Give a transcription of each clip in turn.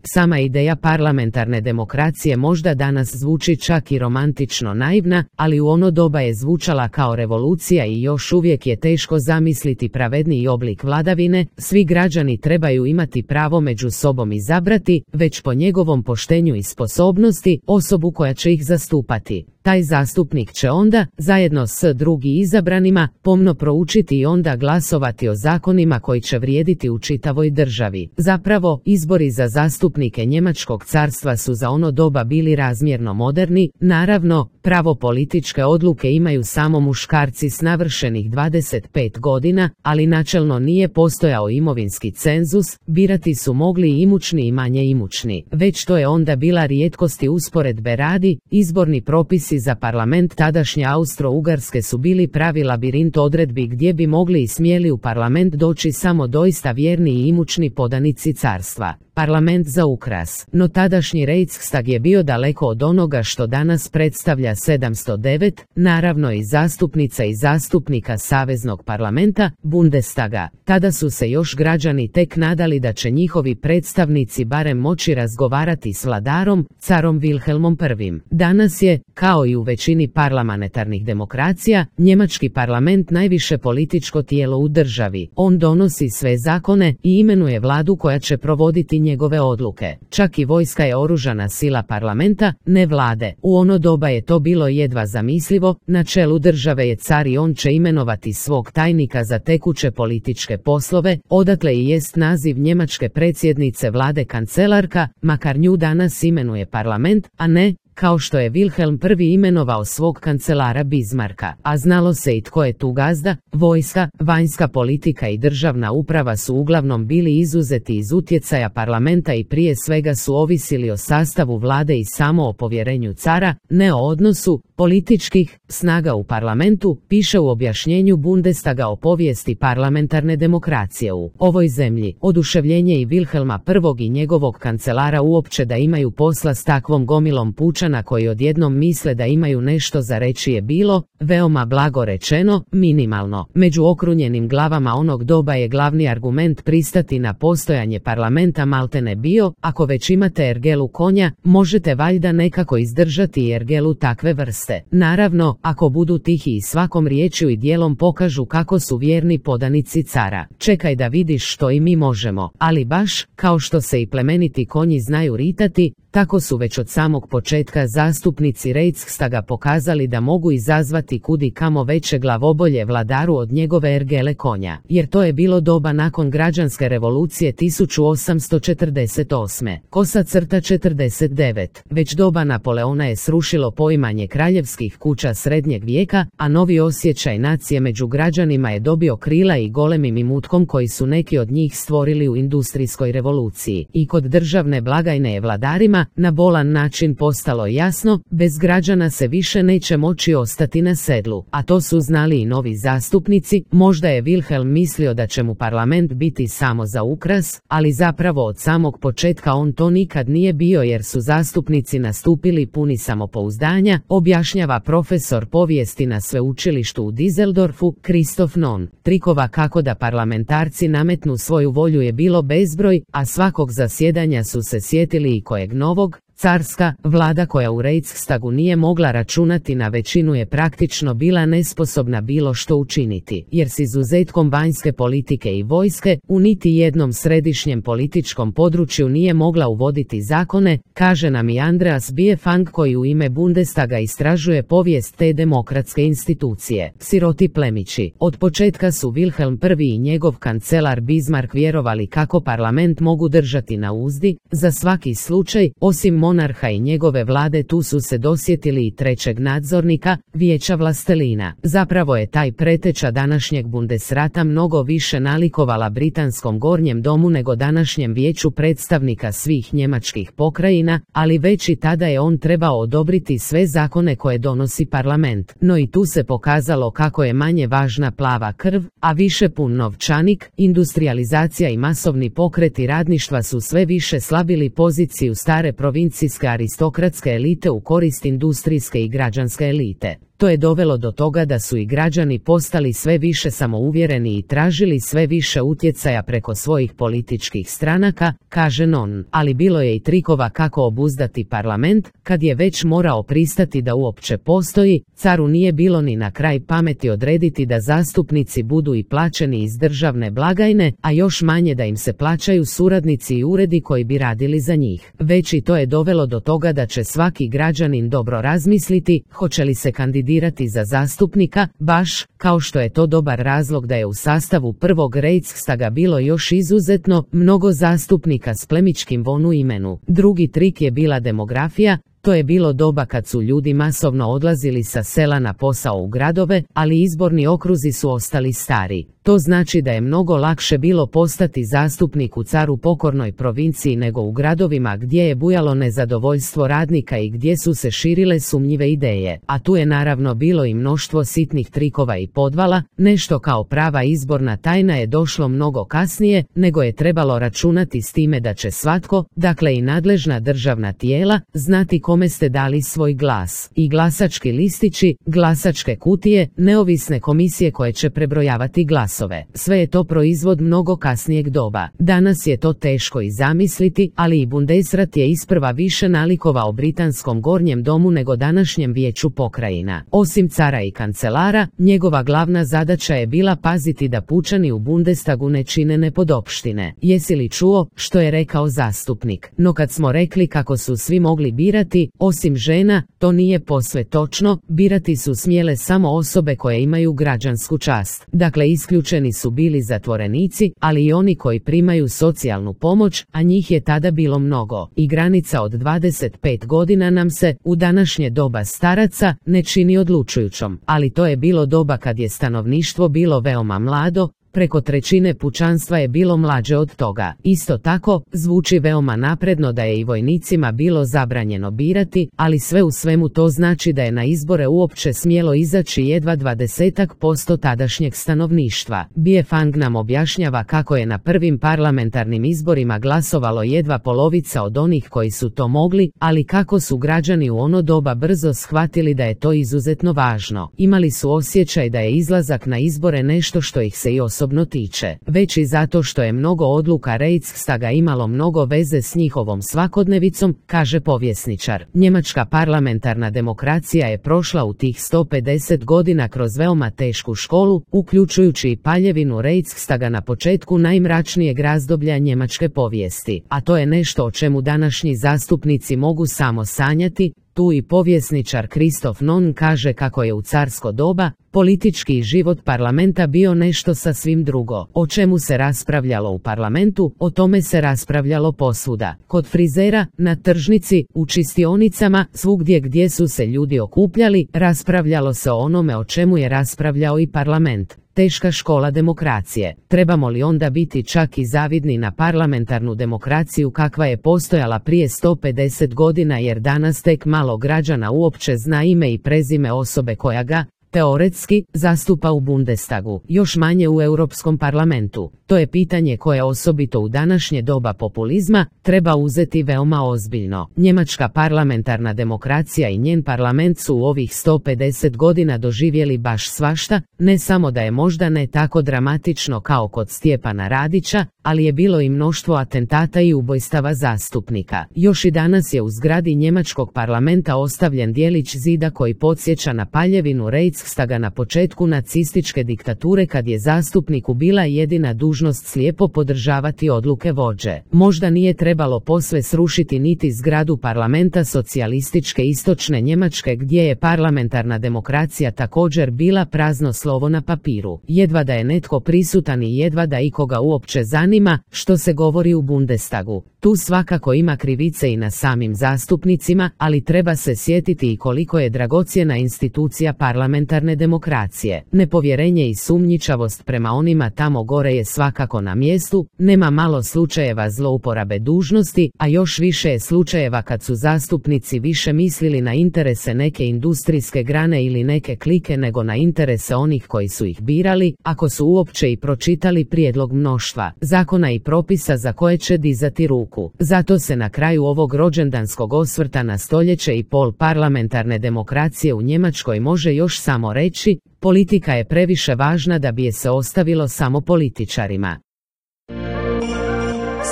Sama ideja parlamentarne demokracije možda danas zvuči čak i romantično naivna, ali u ono doba je zvučala kao revolucija i još uvijek je teško zamisliti pravedniji oblik vladavine. Svi građani trebaju imati pravo među sobom izabrati, već po njegovom poštenju i sposobnosti, osobu koja će ih zastupati. Taj zastupnik će onda, zajedno s drugim izabranima, pomno proučiti i onda glasovati o zakonima koji će vrijediti u čitavoj državi. Zapravo, izbori za zastupnike Njemačkog carstva su za ono doba bili razmjerno moderni. Naravno, pravo političke odluke imaju samo muškarci s navršenih 25 godina, ali načelno nije postojao imovinski cenzus, birati su mogli i imućni i manje imućni. Već to je onda bila rijetkost i usporedbe radi, izborni propisi za parlament tadašnje Austro-Ugarske su bili pravi labirint odredbi gdje bi mogli i smjeli u parlament doći samo doista vjerni i imućni podanici carstva. Parlament za ukras. No tadašnji Reichstag je bio daleko od onoga što danas predstavlja 709, naravno i zastupnica i zastupnika Saveznog parlamenta, Bundestaga. Tada su se još građani tek nadali da će njihovi predstavnici barem moći razgovarati s vladarom, carom Wilhelmom I. Danas je, kao i u većini parlamentarnih demokracija, njemački parlament najviše političko tijelo u državi. On donosi sve zakone i imenuje vladu koja će provoditi njegove odluke. Čak i vojska je oružana sila parlamenta, ne vlade. U ono doba je to bilo jedva zamislivo. Na čelu države je car i on će imenovati svog tajnika za tekuće političke poslove, odatle i jest naziv njemačke predsjednice vlade kancelarka, makar nju danas imenuje parlament, a ne, kao što je Wilhelm I imenovao svog kancelara Bismarcka. A znalo se i tko je tu gazda. Vojska, vanjska politika i državna uprava su uglavnom bili izuzeti iz utjecaja parlamenta i prije svega su ovisili o sastavu vlade i samo o povjerenju cara, ne o odnosu političkih snaga u parlamentu, piše u objašnjenju Bundestaga o povijesti parlamentarne demokracije u ovoj zemlji. Oduševljenje i Wilhelma I i njegovog kancelara uopće da imaju posla s takvom gomilom pučana koji odjednom misle da imaju nešto za reći je bilo, veoma blago rečeno, minimalno. Među okrunjenim glavama onog doba je glavni argument pristati na postojanje parlamenta maltene bio, ako već imate ergelu konja, možete valjda nekako izdržati i ergelu takve vrste. Naravno, ako budu tihi i svakom riječju i dijelom pokažu kako su vjerni podanici cara. Čekaj da vidiš što i mi možemo. Ali baš, kao što se i plemeniti konji znaju ritati, tako su već od samog početka zastupnici Reichstaga pokazali da mogu izazvati kudi kamo veće glavobolje vladaru od njegove ergele konja. Jer to je bilo doba nakon građanske revolucije 1848. Kosa crta 49. Već doba Napoleona je srušilo poimanje kraljevskih kuća srednjeg vijeka, a novi osjećaj nacije među građanima je dobio krila i golemim imutkom koji su neki od njih stvorili u industrijskoj revoluciji. I kod državne blagajne je vladarima na bolan način postalo jasno, bez građana se više neće moći ostati na sedlu. A to su znali i novi zastupnici. Možda je Wilhelm mislio da će mu parlament biti samo za ukras, ali zapravo od samog početka on to nikad nije bio jer su zastupnici nastupili puni samopouzdanja, objašnjava profesor povijesti na sveučilištu u Düsseldorfu, Christoph Non. Trikova kako da parlamentarci nametnu svoju volju je bilo bezbroj, a svakog zasjedanja su se sjetili i kojeg novog. Carska vlada koja u Reichstagu nije mogla računati na većinu je praktično bila nesposobna bilo što učiniti, jer s izuzetkom vanjske politike i vojske, u niti jednom središnjem političkom području nije mogla uvoditi zakone, kaže nam i Andreas Biefang koji u ime Bundestaga istražuje povijest te demokratske institucije. Siroti plemići. Od početka su Wilhelm I i njegov kancelar Bismarck vjerovali kako parlament mogu držati na uzdi, za svaki slučaj, osim monarha i njegove vlade tu su se dosjetili i trećeg nadzornika, vijeća vlastelina. Zapravo je taj preteča današnjeg Bundesrata mnogo više nalikovala britanskom gornjem domu nego današnjem vijeću predstavnika svih njemačkih pokrajina, ali već i tada je on trebao odobriti sve zakone koje donosi parlament. No i tu se pokazalo kako je manje važna plava krv, a više pun novčanik. Industrijalizacija i masovni pokreti radništva su sve više slabili poziciju stare provincijske aristokratske elite u korist industrijske i građanske elite. To je dovelo do toga da su i građani postali sve više samouvjereni i tražili sve više utjecaja preko svojih političkih stranaka, kaže Non. Ali bilo je i trikova kako obuzdati parlament, kad je već morao pristati da uopće postoji, caru nije bilo ni na kraj pameti odrediti da zastupnici budu i plaćeni iz državne blagajne, a još manje da im se plaćaju suradnici i uredi koji bi radili za njih. Već i to je dovelo do toga da će svaki građanin dobro razmisliti hoće li se kandidirati za zastupnika, baš kao što je to dobar razlog da je u sastavu prvog Reichstaga bilo još izuzetno mnogo zastupnika s plemićkim von u imenu. Drugi trik je bila demografija. To je bilo doba kad su ljudi masovno odlazili sa sela na posao u gradove, ali izborni okruzi su ostali stari. To znači da je mnogo lakše bilo postati zastupnik u caru pokornoj provinciji nego u gradovima gdje je bujalo nezadovoljstvo radnika i gdje su se širile sumnjive ideje. A tu je naravno bilo i mnoštvo sitnih trikova i podvala. Nešto kao prava izborna tajna je došlo mnogo kasnije, nego je trebalo računati s time da će svatko, dakle i nadležna državna tijela, znati kome ste dali svoj glas. I glasački listići, glasačke kutije, neovisne komisije koje će prebrojavati glasove. Sve je to proizvod mnogo kasnijeg doba. Danas je to teško i zamisliti, ali i Bundesrat je isprva više nalikovao britanskom gornjem domu nego današnjem vijeću pokrajina. Osim cara i kancelara, njegova glavna zadaća je bila paziti da pučani u Bundestagu ne čine nepodopštine. Jesi li čuo što je rekao zastupnik? No kad smo rekli kako su svi mogli birati, osim žena, to nije posve točno, birati su smjele samo osobe koje imaju građansku čast. Dakle, isključeni su bili zatvorenici, ali i oni koji primaju socijalnu pomoć, a njih je tada bilo mnogo. I granica od 25 godina nam se, u današnje doba staraca, ne čini odlučujućom. Ali to je bilo doba kad je stanovništvo bilo veoma mlado, preko trećine pučanstva je bilo mlađe od toga. Isto tako, zvuči veoma napredno da je i vojnicima bilo zabranjeno birati, ali sve u svemu to znači da je na izbore uopće smjelo izaći jedva 20% tadašnjeg stanovništva. Biefang nam objašnjava kako je na prvim parlamentarnim izborima glasovalo jedva polovica od onih koji su to mogli, ali kako su građani u ono doba brzo shvatili da je to izuzetno važno. Imali su osjećaj da je izlazak na izbore nešto što ih se i osobno tiče, već i zato što je mnogo odluka Reichstaga imalo mnogo veze s njihovom svakodnevicom, kaže povjesničar. Njemačka parlamentarna demokracija je prošla u tih 150 godina kroz veoma tešku školu, uključujući i paljevinu Reichstaga na početku najmračnijeg razdoblja njemačke povijesti, a to je nešto o čemu današnji zastupnici mogu samo sanjati. Tu i povjesničar Christoph Non kaže kako je u carsko doba politički život parlamenta bio nešto sasvim drugo. O čemu se raspravljalo u parlamentu, o tome se raspravljalo posvuda. Kod frizera, na tržnici, u čistionicama, svugdje gdje su se ljudi okupljali, raspravljalo se o onome o čemu je raspravljao i parlament. Teška škola demokracije. Trebamo li onda biti čak i zavidni na parlamentarnu demokraciju kakva je postojala prije 150 godina jer danas tek malo građana uopće zna ime i prezime osobe koja ga, teoretski, zastupa u Bundestagu, još manje u Europskom parlamentu. To je pitanje koje osobito u današnje doba populizma treba uzeti veoma ozbiljno. Njemačka parlamentarna demokracija i njen parlament su u ovih 150 godina doživjeli baš svašta, ne samo da je možda ne tako dramatično kao kod Stjepana Radića, ali je bilo i mnoštvo atentata i ubojstava zastupnika. Još i danas je u zgradi njemačkog parlamenta ostavljen dijelić zida koji podsjeća na paljevinu Reichstaga na početku nacističke diktature kad je zastupniku bila jedina dužnost slijepo podržavati odluke vođe. Možda nije trebalo posve srušiti niti zgradu parlamenta socijalističke istočne Njemačke gdje je parlamentarna demokracija također bila prazno slovo na papiru. Jedva da je netko prisutan i jedva da ikoga uopće zanima što se govori u Bundestagu. Tu svakako ima krivice i na samim zastupnicima, ali treba se sjetiti i koliko je dragocjena institucija parlamentarne demokracije. Nepovjerenje i sumnjičavost prema onima tamo gore je svakako na mjestu, nema malo slučajeva zlouporabe dužnosti, a još više je slučajeva kad su zastupnici više mislili na interese neke industrijske grane ili neke klike nego na interese onih koji su ih birali, ako su uopće i pročitali prijedlog mnoštva zakona i propisa za koje će dizati ruku. muku. Zato se na kraju ovog rođendanskog osvrta na stoljeće i pol parlamentarne demokracije u Njemačkoj može još samo reći, politika je previše važna da bi je se ostavilo samo političarima.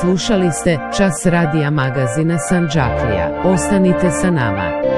Slušali ste Čas radija magazina Sandžaklija. Ostanite sa nama.